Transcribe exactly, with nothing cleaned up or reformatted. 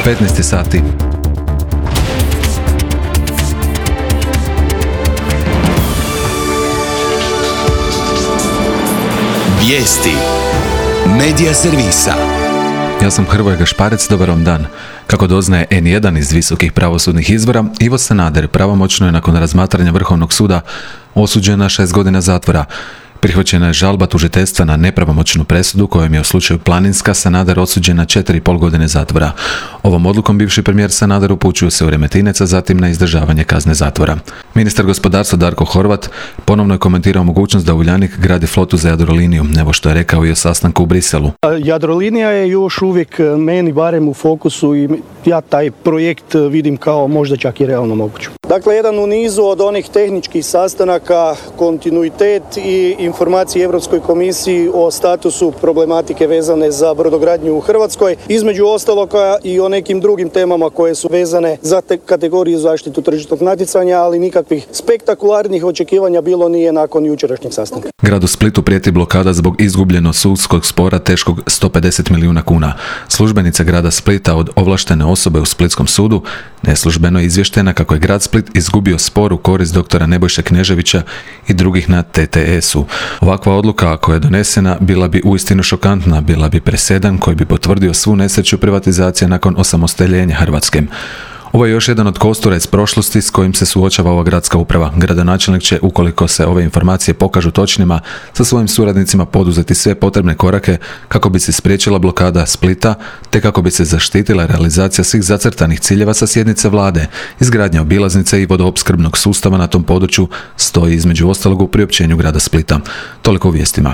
petnaest sati. Vijesti Medija servisa. Ja sam Hrvoje Gašparec, dobar vam dan. Kako doznaje en jedan iz visokih pravosudnih izvora, Ivo Sanader pravomoćno je nakon razmatranja Vrhovnog suda osuđen na šest godina zatvora. Prihvaćena je žalba tužiteljstva na nepravomoćnu presudu kojom je u slučaju Planinska Sanader osuđen na četiri i pol godine zatvora. Ovom odlukom bivši premijer Sanader upućuje se u Remetinec, a zatim na izdržavanje kazne zatvora. Ministar gospodarstva Darko Horvat ponovno je komentirao mogućnost da Uljanik gradi flotu za Jadroliniju, evo što je rekao i o sastanku u Briselu. Jadrolinija je još uvijek meni barem u fokusu i ja taj projekt vidim kao možda čak i realno moguć. Dakle, jedan u nizu od onih tehničkih sastanaka, kontinuitet i informacije Europskoj komisiji o statusu problematike vezane za brodogradnju u Hrvatskoj, između ostaloga i o nekim drugim temama koje su vezane za te kategoriju zaštitu tržišnog natjecanja, ali nikakvih spektakularnih očekivanja bilo nije nakon jučerašnjeg sastanka. Gradu Splitu prijeti blokada zbog izgubljenog sudskog spora teškog sto pedeset milijuna kuna. Službenica grada Splita od ovlaštene osobe u Splitskom sudu neslužbeno je izvještena kako je grad Split izgubio spor u korist doktora Nebojše Kneževića i drugih na T T S-u. Ovakva odluka, ako je donesena, bila bi uistinu šokantna, bila bi presedan koji bi potvrdio svu nesreću privatizacije nakon osamostaljenja Hrvatske. Ovo je još jedan od kostura iz prošlosti s kojim se suočava ova gradska uprava. Gradonačelnik će, ukoliko se ove informacije pokažu točnima, sa svojim suradnicima poduzeti sve potrebne korake kako bi se spriječila blokada Splita, te kako bi se zaštitila realizacija svih zacrtanih ciljeva sa sjednice vlade. Izgradnja obilaznice i vodoopskrbnog sustava na tom području stoji između ostalog u priopćenju grada Splita. Toliko u vijestima.